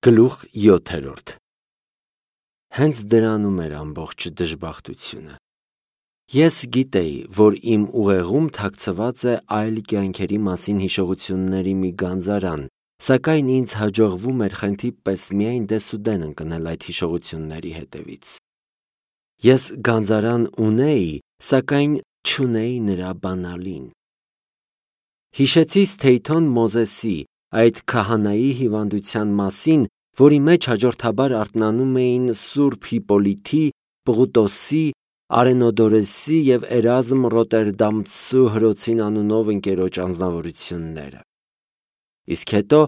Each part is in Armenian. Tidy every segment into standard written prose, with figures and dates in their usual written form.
Գլուխ 7. Հենց դրանում էր ամբողջ դժբախտությունը։ Ես գիտեի, որ իմ ուղեղում թաքցված է այլ կյանքերի մասին հիշողությունների մի գանձարան, սակայն ինձ հաջողվում էր խենթի պես միայն դեսուդեն ընկնել այդ հիշողությունների հետևից։ Ես գանձարան ունեի, սակայն չունեի նրա բանալին։ Հիշեցի Սթեյթոն Մոզեսի, այդ քահանայի հիվանդության մասին, որի մեջ հաջորդաբար արթնանում էին Սուրբ Հիպոլիթի, Պղուտոսի, Արենոդորեսի և Էրազմ Ռոտերդամցու հրոցին անունով ընկերոջ անձնավորությունները։ Իսկ հետո,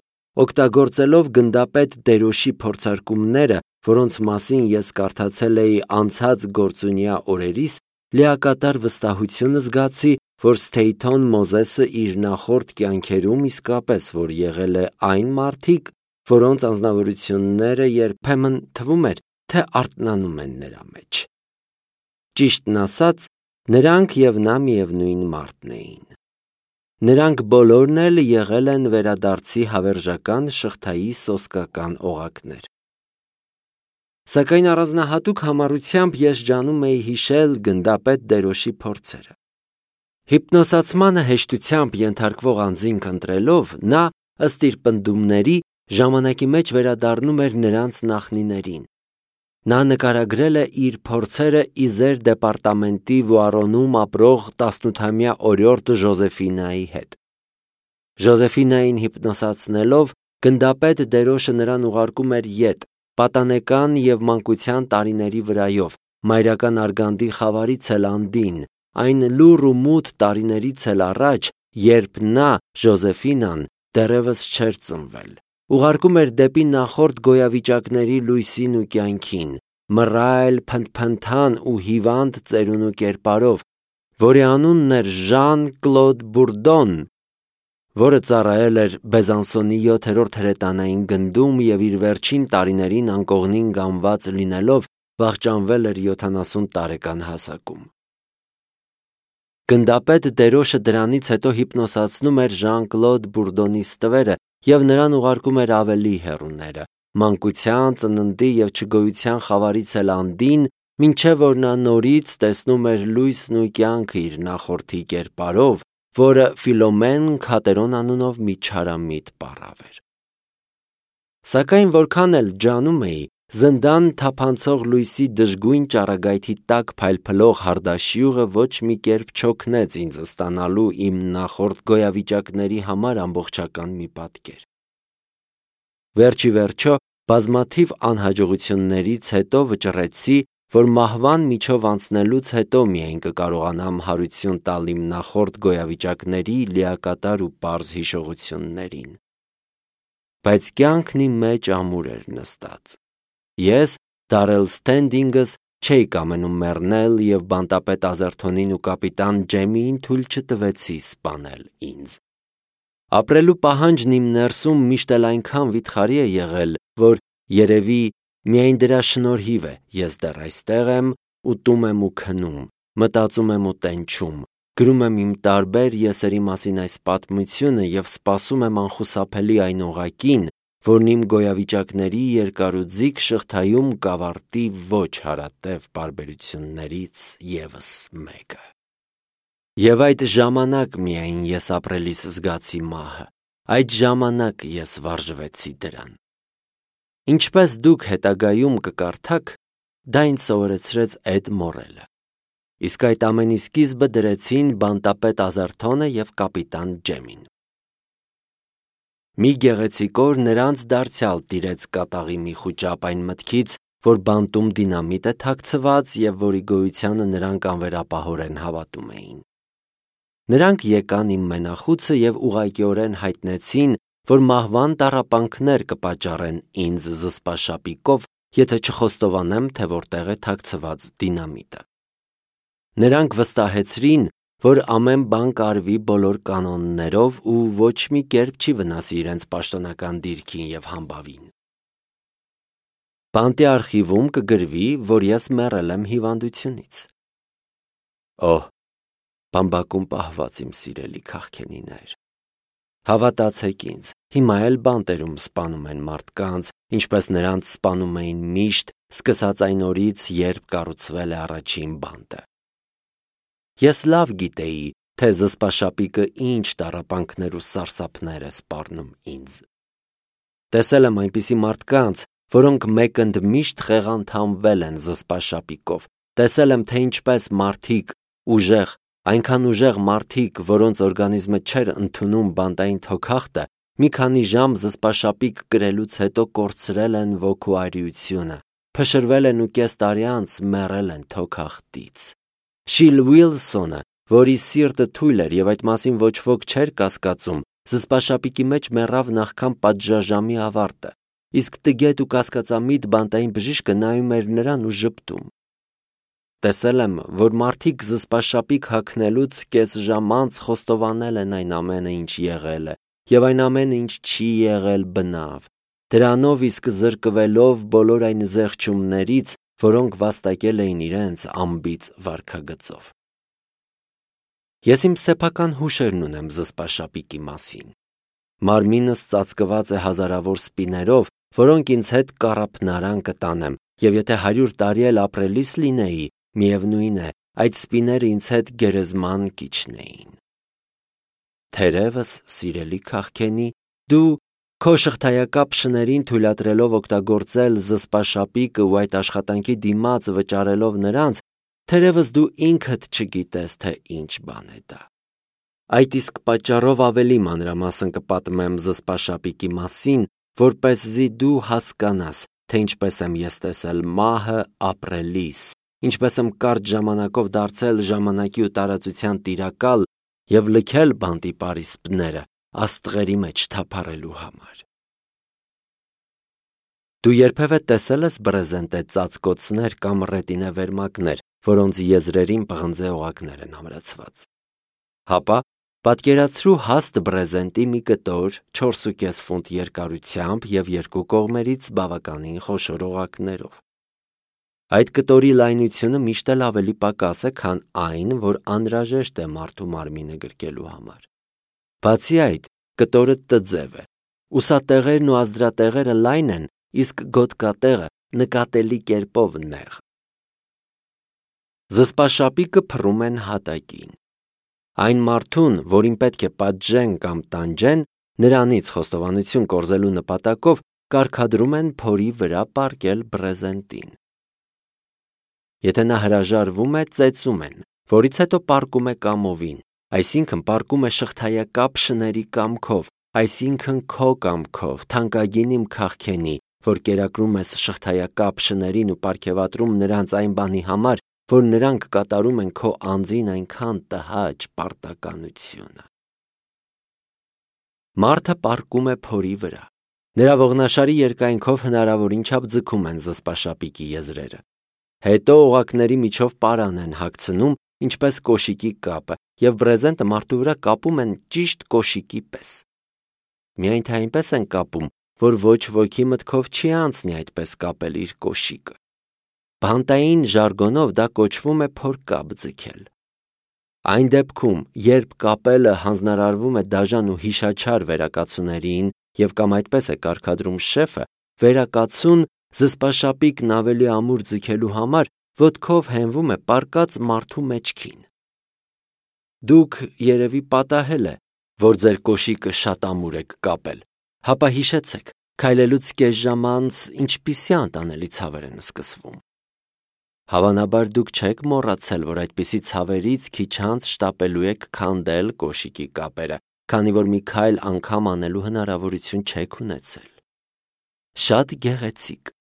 օգտագործելով գնդապետ Դերոշի փորձարկումները, որոնց մասին ես կարդացել էի անցած գործունյա օրերիս, լիակատար վստահություն զգացի, որ Սթեյթոն Մոզեսը իր նախորդ կյանքերում իսկապես որ եղել է այն մարդիկ, որոնց անձնավորությունները երբեմն թվում էր, թե արթնանում են նրա մեջ։ Ճիշտն ասած, նրանք և նա միևնույն մարդն էին։ Նրանք բոլորն էլ եղել են վերադարձի հավերժական շղթայի սոսկական օղակներ։ Սակայն առանձնահատուկ համառությամբ ես ջանում էի հիշել գնդապետ Դերոշի փորձերը։ Հիպնոսացմանը հեշտությամբ ենթարկվող անձինք ընտրելով, նա, ըստ իր պնդումների, ժամանակի մեջ վերադառնում էր նրանց նախնիներին։ Նա նկարագրել է իր փորձերը Իզեր դեպարտամենտի Վուարոնում ապրող 18-ամյա օրիորդ Ժոզեֆինայի հետ։ Ժոզեֆինային հիպնոսացնելով, գնդապետ Դերոշը նրան ուղարկում էր ետ, պատանեկան և մանկության տարիների վրայով, մայրական արգանդի խավարից էլ անդին, այն լուռ ու մութ տարիներից էլ առաջ, երբ նա, Ժոզեֆինան, դեռևս չէր ծնվել։ Ուղարկում էր դեպի նախորդ գոյավիճակների լույսին ու կյանքին, մռայլ, փնթփնթան ու հիվանդ ծերունու կերպարով, որի անունն էր Ժան Կլոդ Բուրդոն, որը ծառայել էր Բեզանսոնի 7-րդ հրետանային գնդում և իր վերջին տարիներին անկողնին գամված լինելով վախճանվել էր 70 տարեկան հասակում։ Գնդապետ Դերոշը դրանից հետո հիպնոսացնում էր Ժան Կլոդ Բուրդոնի ստվերը և նրան ուղարկում էր ավելի հեռուները, մանկության, ծննդի և չգոյության խավարից էլ անդին, մինչև որ նա նորից տեսնում էր լույսն ու կյանքը իր նախորդի կերպարով, որը Ֆիլոմեն Քատերոն անունով մի չարամիտ պառավ էր։ Սակայն որքան էլ ջանում էի, զնդան թափանցող լույսի դժգույն ճառագայթի տակ փայլփլող Հարդաշյուղը ոչ մի կերպ չօգնեց ինձ ստանալու իմ նախորդ գոյավիճակների համար ամբողջական մի պատկեր։ Վերջիվերջո, բազմաթիվ անհաջողություններից հետո վճռեցի, որ մահվան միջով անցնելուց հետո միայն կկարողանամ հարություն տալ իմ նախորդ գոյավիճակների լիակատար ու պարզ հիշողություններին։ Բայց կյանքն իմ մեջ ամուր էր նստած։ Ես, Դարել Սթենդինգս, չէի կամենում մեռնել և բանտապետ Ազերթոնին ու կապիտան Ջեմիին թույլ չտվեցի սպանել ինձ։ Ապրելու պահանջն իմ ներսում միշտ էլ այնքան վիթխարի է եղել, որ երևի միայն դրա շնորհիվ է ես դեռ այստեղ եմ, ուտում եմ ու քնում, մտածում եմ ու տենչում, գրում եմ իմ տարբեր եսերի մասին այս պատմությունը և սպասում եմ անխուսափելի այն օղակին, որն իմ գոյավիճակների երկարուձիգ շղթայում կավարտի ոչ հարատև պարբերություններից ևս մեկը։ Եվ այդ ժամանակ միայն ես ապրելիս զգացի մահը, այդ ժամանակ ես վարժվեցի դրան։ Ինչպես դուք հետագայում կկարդաք, դա ինձ սովորեցրեց Էդ մոռելը։ Իսկ այդ ամենի սկիզբը դրեցին բանտապետ Ազերթոնը և կապիտան Ջեմին։ Մի գեղեցիկ օր նրանց դարձյալ տիրեց կատաղի մի խուճապ այն մտքից, որ բանտում դինամիտ է թաքցված և որի գոյությանը նրանք անվերապահորեն հավատում էին։ Նրանք եկան իմ մենախուցը և ուղղակիորեն հայտնեցին, որ մահվան տառապանքներ կպատճառեն ինձ զսպաշապիկով, եթե չխոստովանեմ, թե որտեղ է թաքցված դինամիտը։ Նրանք վստահեցրին, որ ամեն բան կարվի բոլոր կանոններով ու ոչ մի կերպ չի վնասի իրենց պաշտոնական դիրքին և համբավին։ Բանտի արխիվում կգրվի, որ ես մեռել եմ հիվանդությունից։ Օհ, բամբակում պահված իմ սիրելի քաղքենիներ, Հավատացեք ինձ, հիմա էլ բանտերում սպանում են մարդկանց, ինչպես նրանց սպանում էին միշտ, սկսած այն օրից, երբ կառուցվել է առաջին բանտը։ Ես լավ գիտեի, թե զսպաշապիկը ինչ տառապանքներ ու սարսափներ է սպառնում ինձ։ Տեսել եմ այնպիսի մարդկանց, որոնք մեկընդմիշտ խեղանդամվել են զսպաշապիկով։ Տեսել եմ, թե ինչպես մարդիկ ուժեղ, այնքան ուժեղ մարդիկ, որոնց օրգանիզմը չէր ընդունում բանտային թոքախտը, մի քանի ժամ զսպաշապիկ կրելուց հետո կորցրել են ոգու արիությունը, փշրվել են ու կես տարի անց մեռել են թոքախտից։ Շիլ Ուիլսոնը, որի սիրտը թույլ էր եւ այդ մասին ոչ ոք չէր կասկածում, զսպաշապիկի մեջ մեռավ նախքան պատժաժամի ավարտը, իսկ տգետ ու կասկածամիտ բանտային բժիշկը նայում էր նրան ու ժպտում։ Տեսել եմ, որ մարդիկ զսպաշապիկ հագնելուց կես ժամ անց խոստովանել են այն ամենը, ինչ եղել է, եւ այն ամենը, ինչ չի եղել բնավ, դրանով իսկ զրկվելով բոլոր այն զեղչումներից, որոնք վաստակել էին իրենց անբիծ վարքագծով։ Ես իմ սեփական հուշերն ունեմ զսպաշապիկի մասին։ Մարմինս ծածկված է հազարավոր սպիներով, որոնք ինձ հետ կառափնարան կտանեմ, եւ եթե 100 տարի էլ ապրելիս լինեի, միևնույն է, այդ սպիները ինձ հետ գերեզման կիջնեին։ Թերևս, սիրելի քաղքենի, դու քո շղթայակապ շներին թույլատրելով օգտագործել զսպաշապիկը ու այդ աշխատանքի դիմաց վճարելով նրանց, թերևս դու ինքդ չգիտես, թե ինչ բան է դա։ Այդ իսկ պատճառով ավելի մանրամասն կպատմեմ զսպաշապիկի մասին, որպեսզի դու հասկանաս, թե ինչպես եմ ես տեսել մահը ապրելիս, ինչպես եմ կարճ ժամանակով դարձել ժամանակի ու տարածության տիրակալ եւ լքել բանտի պարիսպները աստղերի մեջ թափառելու համար։ Դու երբևէ տեսել ես բրեզենտե ծածկոցներ կամ ռետինե վերմակներ, որոնց եզրերին պղնձե օղակներ են ամրացված։ Հապա պատկերացրու հաստ բրեզենտի մի կտոր 4.5 ֆունտ երկարությամբ եւ երկու կողմերից բավականին խոշոր օղակներով։ Այդ կտորի լայնությունը միշտ էլ ավելի պակաս է, քան այն, որ անհրաժեշտ է մարդու մարմինը գրկելու համար։ Բացի այդ, կտորը տձև է, ուսատեղերն ու ազդրատեղերը լայն են, իսկ գոտկատեղը նկատելի կերպով նեղ։ Զսպաշապիկը փռում են հատակին։ Այն մարդուն, որին պետք է պատժեն կամ տանջեն, նրանից խոստովանություն կորզելու նպատակով կարգադրում են փորի վրա պառկել բրեզենտին։ Եթե նա հրաժարվում է, ծեծում են, որից հետո պառկում է կամովին, այսինքն պառկում է շղթայակապ շների կամքով, այսինքն քո կամքով, թանկագին իմ քաղքենի, որ կերակրում ես շղթայակապ շներին ու պարգևատրում նրանց այն բանի համար, որ նրանք կատարում են քո անձին այնքան տհաճ պարտականությունը։ Մարդը պառկում է փորի վրա։ Նրա ողնաշարի երկայնքով հնարավորին չափ ձգում են զսպաշապիկի եզրերը։ Հետո օղակների միջով պարան են հագցնում, ինչպես կոշիկի կապը, եւ բրեզենտը մարդու վրա կապում են ճիշտ կոշիկի պես։ Միայն թե այնպես են կապում, որ ոչ ոքի մտքով չի անցնի այդպես կապել իր կոշիկը։ Բանտային ժարգոնով դա կոչվում է փորկապ ձգել։ Այն դեպքում, երբ կապելը հանձնարարվում է դաժան ու հիշաչար վերակացուներին եւ կամ այդպես է կարգադրում շեֆը, վերակացուն զսպաշապիկն ավելի ամուր ձգելու համար ոտքով հենվում է պառկած մարդու մեջքին։ Դուք երևի պատահել է, որ ձեր կոշիկը շատ ամուր եք կապել, հապա հիշեցեք, քայլելուց կես ժամ անց ինչպիսի անտանելի ցավեր են սկսվում։ Հավանաբար դուք չեք մոռացել, որ այդպիսի ցավերից քիչ անց շտապելու եք քանդել կոշիկի կապերը, քանի որ մի քայլ անգամ անելու հնարավորություն չեք ունեցել։ Շատ գեղեցիկ։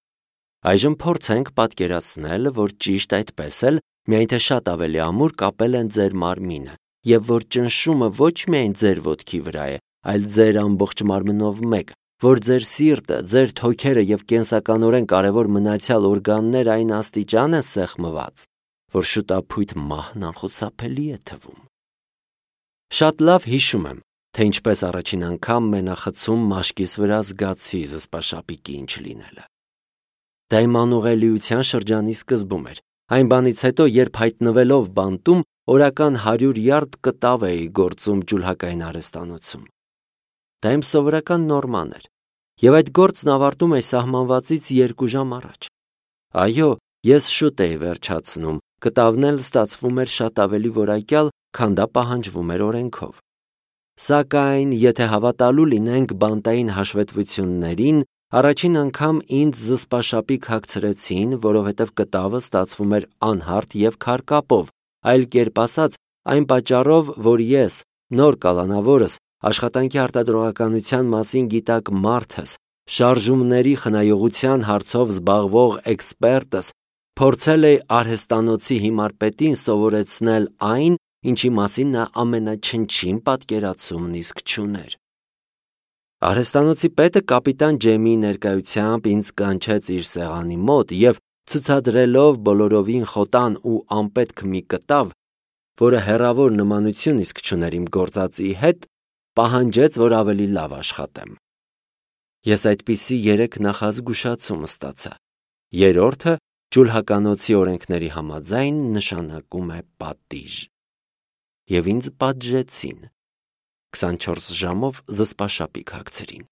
Այժմ փորձենք պատկերացնել, որ ճիշտ այդպես էլ, միայն թե շատ ավելի ամուր կապել են ձեր մարմինը, եւ որ ճնշումը ոչ միայն ձեր ոտքի վրա է, այլ ձեր ամբողջ մարմնով մեկ, որ ձեր սիրտը, ձեր թոքերը եւ կենսականորեն կարևոր մնացյալ օրգանները այն աստիճան են սեղմված, որ շուտափույթ մահն անխուսափելի է թվում։ Շատ լավ հիշում եմ, թե ինչպես առաջին անգամ մենախցում մաշկիս վրա զգացի զսպաշապիկի ինչ լինելը։ Դա իմ անուղելիության շրջանի սկզբում էր, այն բանից հետո, երբ հայտնվելով բանտում, օրական 100 յարդ կտավ էի գործում ջուլհակային արհեստանոցում։ Դա իմ սովորական նորման էր, եւ այդ գործն ավարտում էի սահմանվածից 2 ժամ առաջ։ Այո, ես շուտ էի վերջացնում, կտավն էլ ստացվում էր շատ ավելի որակյալ, քան դա պահանջվում էր օրենքով։ Սակայն, եթե հավատալու լինենք բանտային հաշվետվություններին, առաջին անգամ ինձ զսպաշապիկ հագցրեցին, որովհետև կտավը ստացվում էր անհարթ եւ քարկապով, այլ կերպ ասած, այն պատճառով, որ ես, նոր կալանավորս, աշխատանքի արտադրողականության մասին գիտակ մարդս, շարժումների խնայողության հարցով զբաղվող էքսպերտս, փորձել էի արհեստանոցի հիմար պետին սովորեցնել այն, ինչի մասին նա ամենաչնչին պատկերացումն իսկ չուներ։ Արհեստանոցի պետը կապիտան Ջեմի ներկայությամբ ինձ կանչեց իր սեղանի մոտ եւ ցուցադրելով բոլորովին խոտան ու անպետք մի կտավ, որը հեռավոր նմանություն իսկ չուներ իմ գործածի հետ, պահանջեց, որ ավելի լավ աշխատեմ։ Ես այդպիսի 3 նախազգուշացում ստացա։ Երրորդը ջուլհականոցի օրենքների համաձայն նշանակում է պատիժ։ Եվ ինձ պատժեցին։ 24 ժամով զսպաշապիկ հագցրին։